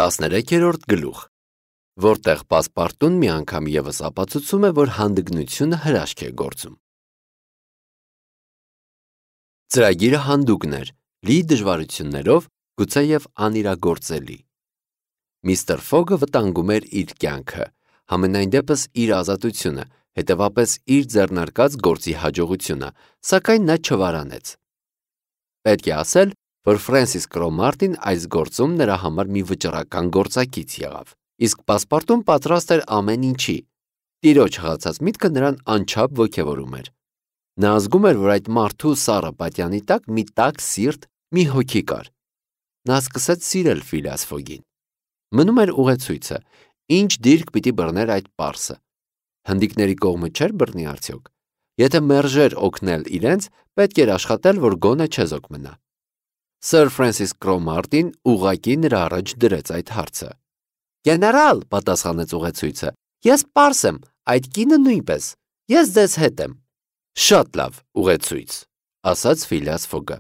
13-րդ գլուխ, որտեղ պասպարտուն մի անգամ ևս ապացուցում է, որ հանդգնությունը հրաշք է գործում։ Ծրագիրը հանդուգն էր, լի դժվարություններով, գուցեև անիրագործելի։ Միստր Ֆոգը վտանգում էր իր կյանքը, համենայն դեպս իր ազատությունը, հետևապես իր ձեռնարկած գործի հաջողությունը, սակայն նա չվարանեց։ Պետք է ասել, որ Ֆրենսիս Կրոմարտին այս գործում նրա համար մի վճռական գործակից եղավ, իսկ պասպարտուն պատրաստ էր ամեն ինչի։ Տիրոջ հղացած միտքը նրան անչափ ոգևորում էր։ Նա զգում էր, որ այդ մարդու սառը պատյանի տակ մի տաք սիրտ, մի հոգի կար։ Նա սկսեց սիրել Ֆիլիաս Ֆոգին։ Մնում էր ուղեցույցը, ինչ դիրք պիտի բռներ այդ պարսը։ Հնդիկների կողմը չէր բռնի արդյոք։ Եթե մերժեր օգնել իրենց, պետք էր աշխատել, որ գոնե չեզոք մնա։ Սըր Ֆրենսիս Կրոմարտին ուղղակի նրա առաջ դրեց այդ հարցը։ Գեներալ, պատասխանեց ուղեցույցը, ես պարս եմ, այդ կինը նույնպես, ես ձեզ հետ եմ։ Շատ լավ, ուղեցույց, ասաց Ֆիլիաս Ֆոգը։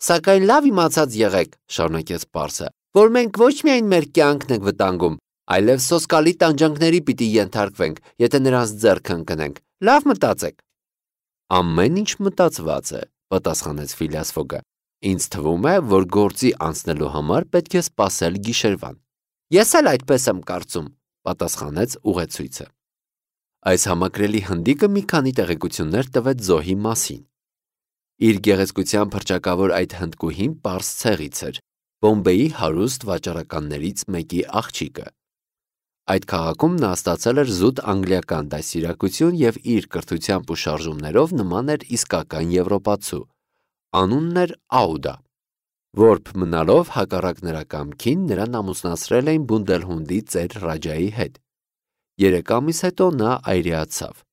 Սակայն լավ իմացած եղեք, շարունակեց պարսը, որ մենք ոչ միայն մեր կյանքն ենք վտանգում, այլև սոսկալի տանջանքների պիտի ենթարկվենք, եթե նրանց ձեռքը ընկնենք։ Լավ մտածեք։ Ամեն ինչ մտածված է, պատասխանեց Ֆիլիաս Ֆոգը։ Ինձ թվում է, որ գործի անցնելու համար պետք է սպասել գիշերվան։ Ես էլ այդպես եմ կարծում, պատասխանեց ուղեցույցը։ Այս համակրելի հնդիկը մի քանի տեղեկություններ տվեց զոհի մասին։ Իր գեղեցկության փրկչակավոր այդ հնդկուհին պարս ցեղից էր, Բոմբեի հարուստ վաճառականներից մեկի աղջիկը։ Այդ քաղաքում նա ստացել էր զուտ անգլիական դաստիարակություն եւ իր կրթությամբ ու շարժումներով նման էր իսկական եվրոպացու։ Անունն էր Աուդա։ Որբ մնալով հակառակ նրա կամքին նրան ամուսնացրել էին Բունդելհունդի ծեր Ռաջայի հետ։ 3 ամիս հետո նա այրեացավ։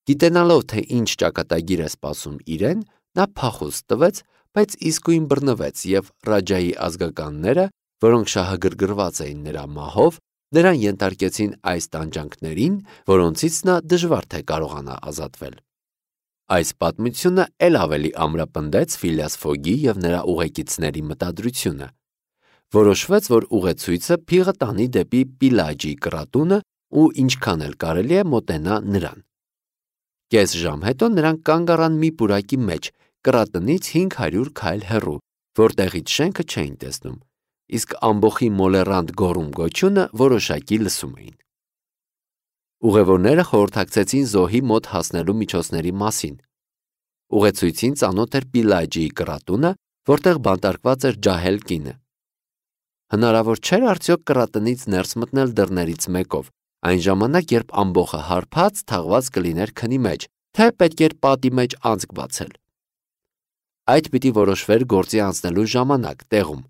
Գիտենալով, թե ինչ ճակատագիր է սպասում իրեն, նա փախուստ տվեց, բայց իսկույն բռնվեց եւ Ռաջայի ազգականները, որոնք շահագրգռված էին նրա մահով, նրան ենթարկեցին այս տանջանքներին, որոնցից նա դժվար թե կարողանա ազատվել։ Այս պատմությունը ել ավելի ամրապնդեց Ֆիլիաս Ֆոգի եւ նրա ուղեկիցների մտադրությունը։ Որոշվեց, որ ուղեցույցը փիղը տանի դեպի Պիլաջի կրատունը ու ինչքան էլ կարելի է մոտենա նրան։ Կես ժամ հետո նրանք կանգ առան մի պուրակի մեջ, կրատնից 500 քայլ հեռու, որտեղից շենքը չէին տեսնում, իսկ ամբոխի մոլեռանդ գոռում գոչյունը որոշակի լսում էին։ Ուղևորները խորհրդակցեցին զոհի մոտ հասնելու միջոցների մասին։ Ուղեցույցին ծանոթ էր Պիլաջիի կրատունը, որտեղ բանտարկված էր ջահել կինը։ Հնարավոր չէր արդյոք կրատնից ներս մտնել դռներից մեկով, այն ժամանակ, երբ ամբոխը հարբած թաղված կլիներ քնի մեջ, թե պետք էր պատի մեջ անցք բացել։ Այդ պիտի որոշվեր գործի անցնելու ժամանակ, տեղում։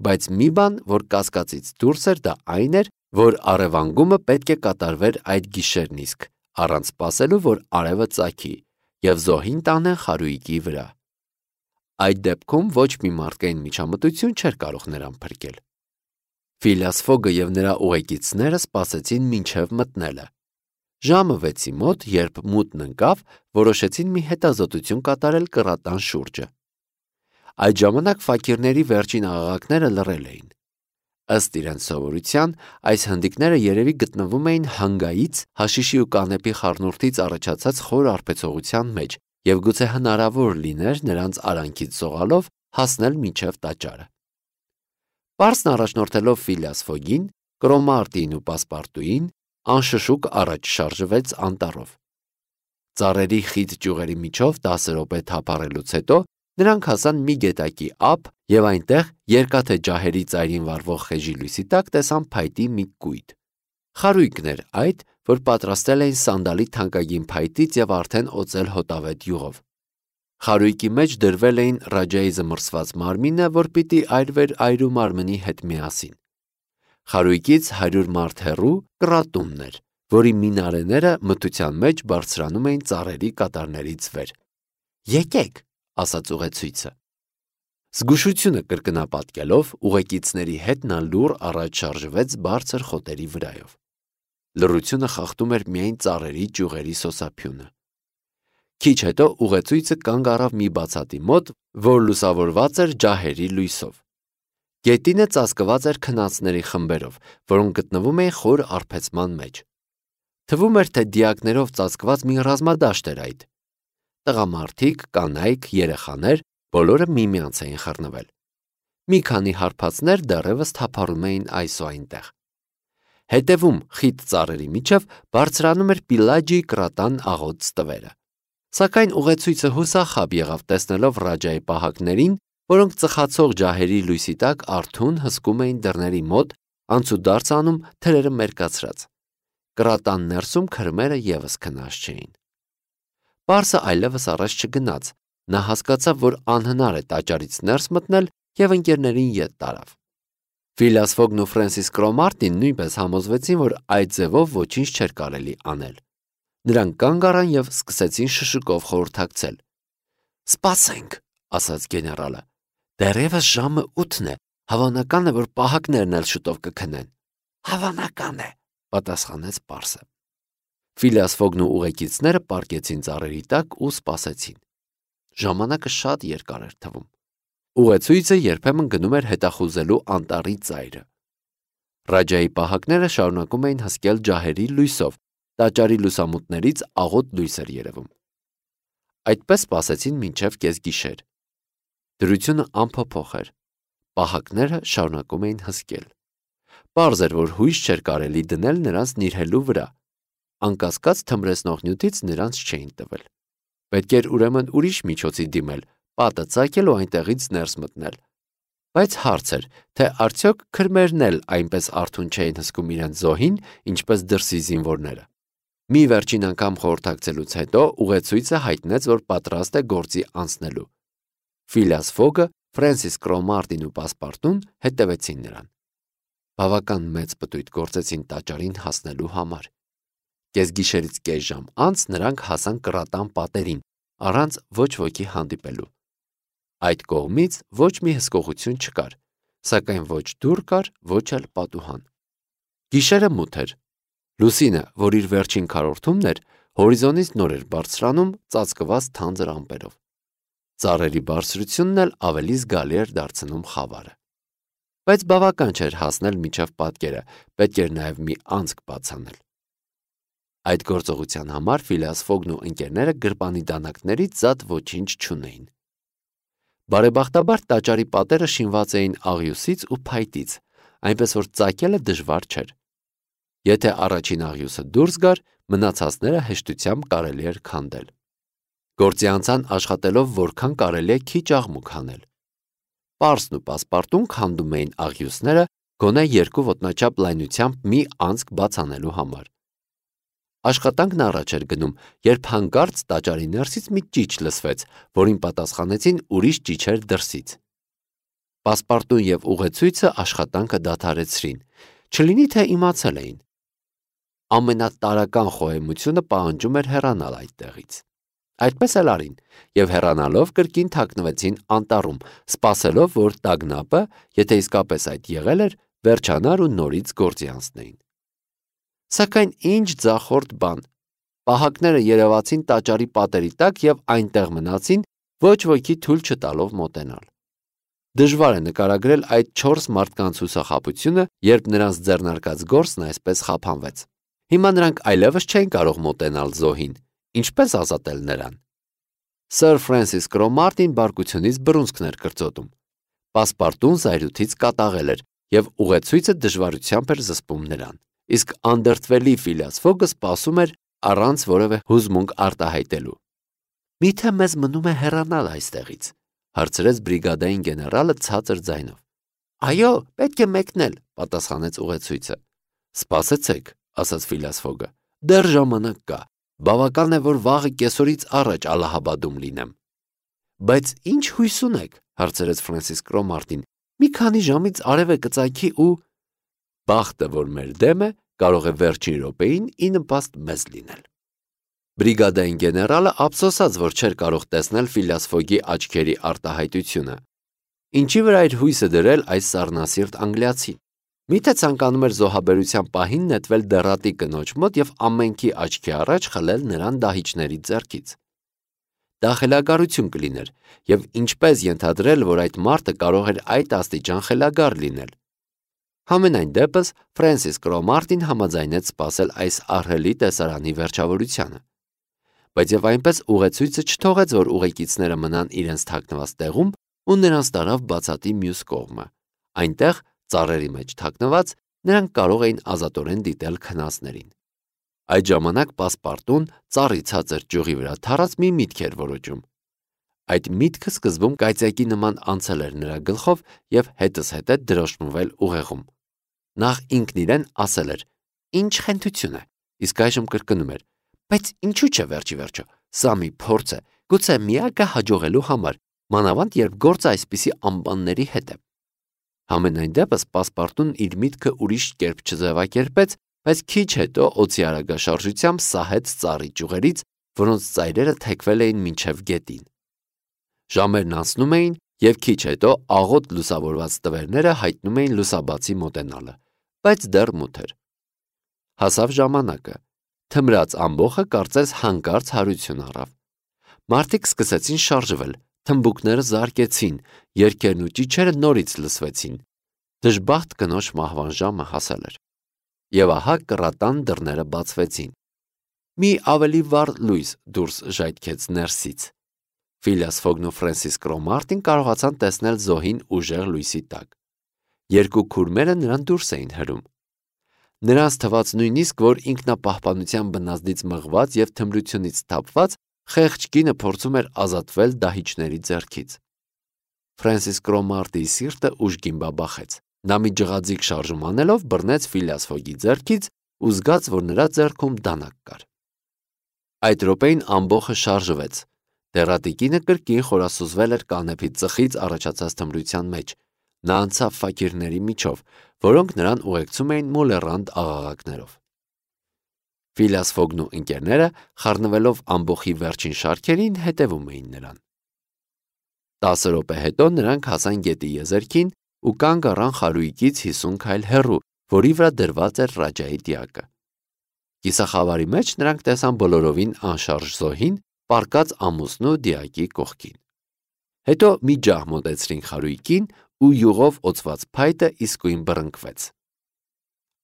Բայց մի բան, որ կասկածից դուրս էր, դա այն էր, որ առևանգումը պետք է կատարվեր այդ գիշերն իսկ, առանց սպասելու, որ արևը ծագի, եւ զոհին տանեն խարույկի վրա։ Այդ դեպքում ոչ մի մարդկային միջամտություն չէր կարող նրան փրկել։ Ֆիլիաս Ֆոգը եւ նրա ուղեկիցները սպասեցին մինչև մտնելը։ Ժամը 6-ի մոտ, երբ մութն ընկավ, որոշեցին մի հետազոտություն կատարել կրատան շուրջը։ Այդ ժամանակ ֆակիրների վերջին աղաղակները լռել էին։ Ըստ իրենց սովորության, այս հնդիկները երևի գտնվում էին հանգայից, հաշիշի ու կանեպի խառնուրդից առաջացած խոր արբեցողության մեջ, եւ գուցե հնարավոր լիներ նրանց արանքից սողալով հասնել մինչև տաճարը։ Պարսն առաջնորդելով Ֆիլիաս Ֆոգին, Կրոմարտին ու Պասպարտուին, անշշուկ առաջ շարժվեց անտառով։ Ծառերի խիտ ճյուղերի միջով 10 րոպե թափառելուց հետո նրանք հասան մի գետակի ափ եւ այնտեղ երկաթե ջահերի ծայրին վառվող խեժի լույսի տակ տեսան փայտի մի կույտ։ Խարույկն էր այդ, որ պատրաստել էին սանդալի թանկագին փայտից եւ արդեն օծել հոտավետ յուղով։ Խարույկի մեջ դրվել էին Ռաջայի զմռսված մարմինը, որ պիտի այրվեր այրու մարմնի հետ միասին։ Խարույկից 100 մարդ հեռու կրատունն էր, որի մինարեները մթության մեջ բարձրանում էին ծառերի կատարներից վեր։ Եկեք, ասաց ուղեցույցը։ Զգուշությունը կրկնապատկելով ուղեկիցների հետ նա լուռ առաջ շարժվեց բարձր խոտերի վրայով։ Լռությունը խախտում էր միայն ծառերի ճյուղերի սոսափյունը։ Քիչ հետո ուղեցույցը կանգ առավ մի բացատի մոտ, որ լուսավորված էր ջահերի լույսով։ Գետինը ծածկված էր քնածների խմբերով, որոնք գտնվում էին խոր արբեցման մեջ։ Թվում էր, թե դիակներով ծածկված մի ռազմադաշտ էր այդ։ Տղամարդիկ, կանայք, երեխաներ բոլորը միմյանց էին խռնվել։ Մի քանի հարբածներ դեռևս թափառում էին այս ու այնտեղ։ Հետևում խիտ ծառերի միջև բարձրանում էր Պիլաջիի կրատան աղոտ ստվերը։ Սակայն ուղեցույցը հուսախաբ եղավ տեսնելով Ռաջայի պահակներին, որոնք ծխացող ջահերի լույսի տակ արթուն հսկում էին դռների մոտ, անցուդարձ անում թրերը մերկացրած։ Կրատան ներսում քրմերը ևս քնած չէին։ Պարսը այլևս առաջ չգնաց, նա հասկացավ, որ անհնար է տաճարից ներս մտնել և ընկերներին ետ տարավ։ Ֆիլիաս Ֆոգն ու Ֆրենսիս Կրոմարտին նույնպես համոզվեցին, որ այդ ձևով ոչինչ չէր կարելի անել։ Նրանք կանգ առան և սկսեցին շշուկով խորհրդակցել։ «Սպասենք», ասաց գեներալը, «դեռևս ժամը 8-ն է, հավանական է, որ պահակներն էլ շուտով կքնեն»։ «Հավանական է», պատասխանեց պարսը։ Ֆիլիաս Ֆոգն ու ուղեկիցները պառկեցին ծառերի տակ ու սպասեցին։ Ժամանակը շատ երկար էր թվում։ Ուղեցույցը երբեմն գնում էր հետախուզելու անտառի ծայրը։ Ռաջայի պահակները շարունակում էին հսկել ջահերի լույսով, տաճարի լուսամուտներից աղոտ լույս էր երևում։ Այդպես սպասեցին մինչև կեսգիշեր։ Դրությունը անփոփոխ էր։ Պահակները շարունակում էին հսկել։ Պարզ էր, որ հույս չէր կարելի դնել նրանց նիրհելու վրա։ Անկասկած թմրեցնող նյութից նրանց չէին տվել։ Պետք էր ուրեմն ուրիշ միջոցի դիմել, պատը ծակել ու այնտեղից ներս մտնել։ Բայց հարց էր, թե արդյոք քրմերն էլ այնպես արթուն չէին հսկում իրենց զոհին, ինչպես դրսի զինվորները։ Մի վերջին անգամ խորհրդակցելուց հետո ուղեցույցը հայտնեց, որ պատրաստ է գործի անցնելու։ Ֆիլիաս Ֆոգը, Ֆրենսիս Կրոմարտին ու Պասպարտուն հետևեցին նրան։ Բավական մեծ պտույտ գործեցին տաճարին հասնելու համար։ Կեսգիշերից կես ժամ անց նրանք հասան կրատան պատերին, առանց ոչ ոքի հանդիպելու։ Այդ կողմից ոչ մի հսկողություն չկար, սակայն ոչ դուռ կար, ոչ էլ պատուհան։ Գիշերը մութ էր։ Լուսինը, որ իր վերջին քառորդումն էր, հորիզոնից նոր էր բարձրանում ծածկված թանձր ամպերով։ Ծառերի բարձրությունն էլ ավելի զգալի էր դարձնում խավարը։ Բայց բավական չէր հասնել մինչև պատկերը, պետք էր նաև մի անցք բացանել։ Այդ գործողության համար Ֆիլիաս Ֆոգն ու ընկերները գրպանի դանակներից զատ ոչինչ չունեին։ Բարեբախտաբար տաճարի պատերը շինված էին աղյուսից ու փայտից, այնպես որ ծակելը դժվար չէր։ Եթե առաջին աղյուսը դուրս գար, մնացածները հեշտությամբ կարելի էր քանդել։ Գործի անցան աշխատելով որքան կարելի է քիչ աղմուկ հանել։ Պարսն ու Պասպարտուն քանդում էին աղյուսները գոնե 2 ոտնաչափ լայնությամբ մի անցք բաց անելու համար։ Աշխատանքն առաջ էր գնում, երբ հանկարծ տաճարի ներսից մի ճիչ լսվեց, որին պատասխանեցին ուրիշ ճիչեր դրսից։ Պասպարտուն և ուղեցույցը աշխատանքը դադարեցրին, չլինի թե իմացել էին։ Ամենատարրական խոհեմությունը պահանջում էր հեռանալ այդտեղից։ Այդպես էլ արին, և հեռանալով կրկին թաքնվեցին անտառում, սպասելով, որ տագնապը, եթե իսկապես այդ եղել էր, վերջանար ու նորից գործի անցնեին։ Սակայն ինչ ձախորդ բան։ Պահակները երևացին տաճարի պատերի տակ և այնտեղ մնացին, ոչ ոքի թույլ չտալով մոտենալ։ Դժվար է նկարագրել այդ 4 մարդկանց հուսախաբությունը, երբ նրանց ձեռնարկած գործն այսպես խափանվեց։ Հիմա նրանք այլևս չէին կարող մոտենալ զոհին, ինչպես ազատել նրան։ Սըր Ֆրենսիս Կրոմարտին բարկությունից բռունցքն էր կրծոտում։ Պասպարտուն զայրույթից կատաղել էր և ուղեցույցը դժվարությամբ էր զսպում նրան, իսկ անդրդվելի Ֆիլիաս Ֆոգը սպասում էր առանց որևէ հուզմունք արտահայտելու։ «Միթե մեզ մնում է հեռանալ այստեղից», հարցրեց բրիգադային գեներալը ցածր ձայնով։ «Այո, պետք է մեկնել», պատասխանեց ուղեցույցը։ «Սպասեցեք», ասաց Ֆիլիաս Ֆոգը, «դեռ ժամանակ կա, բավական է, որ վաղը կեսօրից առաջ Ալլահաբադում լինեմ»։ «Բայց ինչ հույս ունեք», հարցրեց Ֆրենսիս Կրոմարտին, «մի քանի ժամից արևը կծագի ու…» «Բախտը, որ մեր դեմ է, կարող է վերջին րոպեին ի նպաստ մեզ լինել»։ Բրիգադային գեներալը ափսոսաց, որ չէր կարող տեսնել Ֆիլիաս Ֆոգի աչքերի արտահայտությունը։ Ինչի վրա էր հույսը դրել այս սառնասիրտ անգլիացին։ Միթե ցանկանում էր զոհաբերության պահին նետվել դեռատի կնոջ մոտ և ամենքի աչքի առաջ խլել նրան դահիճների ձեռքից։ դա խելագարություն կլիներ, եւ ինչպես ենթադրել, որ այդ մարդը կարող էր այդ աստիճան խելագար լինել։ Համենայն դեպս Ֆրենսիս Կրոմարտին համաձայնեց սպասել այս ահռելի տեսարանի վերջավորությանը։ Բայց եւ այնպես ուղեցույցը չթողեց, որ ուղեկիցները մնան իրենց թաքնված տեղում ու նրանց տարավ բացատի մյուս կողմը։ Այնտեղ, ծառերի մեջ թաքնված, նրանք կարող էին ազատորեն դիտել քնածներին։ Այդ ժամանակ Պասպարտուն ծառի ցածր ճյուղի վրա թռած մի միտք էր որոջում։ Այդ միտքը սկզբում կայծակի նման անցել էր նրա գլխով եւ հետզհետե դրոշմվել ուղեղում։ Նախ ինքն իրեն ասել էր. «Ինչ խենթություն է», իսկ այժմ կրկնում էր. «Բայց ինչու՞ չէ վերջի վերջո, սա մի փորձ է, գուցե միակը հաջողելու համար, մանավանդ երբ գործը այսպիսի ամպանների հետ է»։ Համենայն դեպս Պասպարտուն իր միտքը ուրիշ կերպ չձևակերպեց, բայց քիչ հետո օձի արագաշարժությամբ սահեց ծառի ճյուղերից, որոնց ծայրերը թեքվել էին մինչև գետին։ Ժամերն անցնում էին, եւ քիչ հետո աղոտ լուսավորված տվերները հայտնում էին լուսաբացի մոտենալը, բայց դեռ մութ էր։ Հասավ ժամանակը։ Թմրած ամբոխը կարծես հանկարծ հարություն առավ։ Մարդիկ սկսեցին շարժվել, թմբուկները զարկեցին, երգերն ու ճիչերը նորից լսվեցին։ Դժբախտ կնոջ մահվան ժամը հասել էր։ Եվ ահա կռատան դռները բացվեցին։ Մի ավելի վառ լույս դուրս ժայթքեց ներսից։ Ֆիլիաս Ֆոգն ու Ֆրենսիս Կրոմարտին կարողացան տեսնել զոհին ուժեղ լույսի տակ։ Երկու քուրմերը նրան դուրս էին հրում։ Նրանց թվաց նույնիսկ, որ ինքնապահպանության բնազդից մղված եւ թմրությունից թափված խեղճ կինը փորձում էր ազատվել դահիճների ձեռքից։ Ֆրենսիս Կրոմարտիի սիրտը ուժգին բաբախեց։ Նա մի ջղաձիգ շարժում անելով բռնեց Ֆիլիաս Ֆոգի ձեռքից ու զգաց, որ նրա ձեռքում դանակ կար։ Այդ րոպեին ամբոխը շարժվեց։ Դեռատիկինը կրկին խորասուզվել էր կանեփի ծխից առաջացած թմրության մեջ։ Նա անցավ ֆակիրների միջով, որոնք նրան ուղեկցում էին մոլեռանդ աղաղակներով։ Ֆիլիաս Ֆոգն ու ընկերները, խառնվելով ամբոխի վերջին շարքերին, հետևում էին նրան։ 10 րոպե հետո նրանք հասան գետի եզերքին ու կանգ առան խարույկից 50 քայլ հեռու, որի վրա դրված էր Ռաջայի դիակը։ Կիսախավարի մեջ նրանք տեսան բոլորովին անշարժ զոհին, պառկած ամուսնու դիակի կողքին։ Հետո մի ջահ մոտեցրին խարույկին ու յուղով օծված փայտը իսկույն բռնկվեց։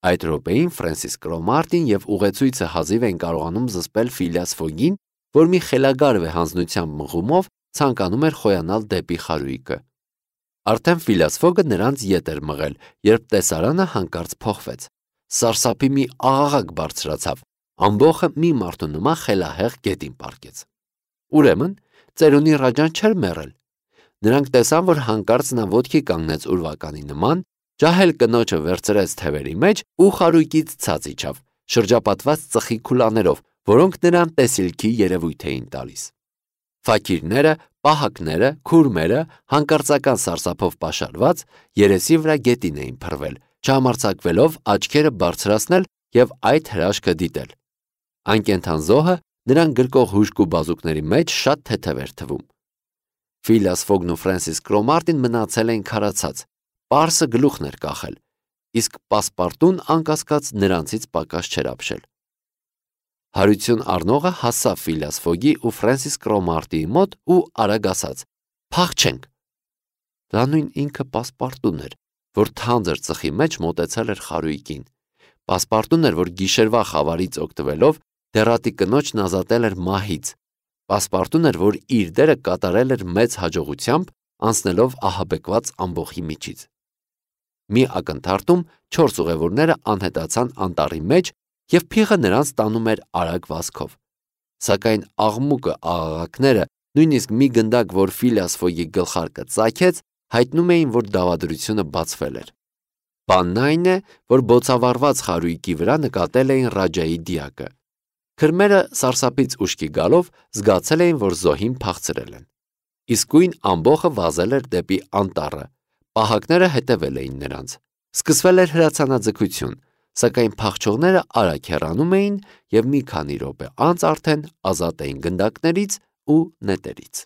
Այդ րոպեին Ֆրենսիս Կրոմարտին եւ ուղեցույցը հազիվ են կարողանում զսպել Ֆիլիաս Ֆոգին, որ մի խելագար վեհանձնությամբ մղումով ցանկանում էր խոյանալ դեպի խարույկը։ Արդեն Ֆիլիաս Ֆոգը նրանց ետ էր մղել, երբ տեսարանը հանկարծ փոխվեց։ Սարսափի մի աղաղակ բարձրացավ։ Ամբոխը մի մարդու նման խելահեղ գետին պառկեց։ Ուրեմն ծերունի Ռաջան չէր մեռել։ Նրանք տեսան, որ հանկարծ նա ոտքի կանգնեց ուրվականի նման, ջահել կնոջը վերցրեց թևերի մեջ ու խարույկից ցած իջավ, շրջապատված ծխի քուլաներով, որոնք նրան տեսիլքի երևույթ էին տալիս։ Ֆակիրները, պահակները, քուրմերը, հանկարծական սարսափով պաշարված, երեսի վրա գետին էին փռվել, չհամարձակվելով աչքերը բարձրացնել եւ այդ հրաշքը դիտել։ Անկենդան զոհը նրան գրկող հուժկու բազուկների մեջ շատ թեթև էր թվում։ Ֆիլիաս Ֆոգն ու Ֆրենսիս Կրոմարտին մնացել էին քարացած, պարսը գլուխն էր կախել, իսկ Պասպարտուն անկասկած նրանցից պակաս չէր ապշել։ Հարություն առնողը հասավ Ֆիլիաս Ֆոգի ու Ֆրենսիս Կրոմարտիի մոտ ու արագ ասաց. «Փախչենք»։ Դա նույն ինքը Պասպարտուն էր, որ թանձր ծխի մեջ մոտեցել էր խարույկին։ Պասպարտուն էր, որ գիշերվա խավարից օգտվելով դեռատի կնոջն ազատել էր մահից։ Պասպարտուն էր, որ իր դերը կատարել էր մեծ հաջողությամբ, անցնելով ահաբեկված ամբոխի միջից։ Մի ակնթարթում 4 ուղևորները անհետացան անտառի մեջ եւ փիղը նրանց տանում էր արագ վազքով։ Սակայն աղմուկը, աղաղակները, նույնիսկ մի գնդակ, որ Ֆիլիաս Ֆոգի գլխարկը ծագեց, հայտնում էին, որ դավադրությունը բացվել էր։ Բանն այն է, որ բոցավառված խարույկի վրա նկատել էին Ռաջայի դիակը։ Քրմերը սարսափից ուշքի գալով զգացել էին, որ զոհին փախցրել են։ Իսկույն ամբոխը վազել էր դեպի անտառը։ Պահակները հետևել էին նրանց։ Սկսվել էր հրացանաձգություն, սակայն փախչողները արագ հեռանում էին եւ մի քանի րոպե անց արդեն ազատ էին գնդակներից ու նետերից։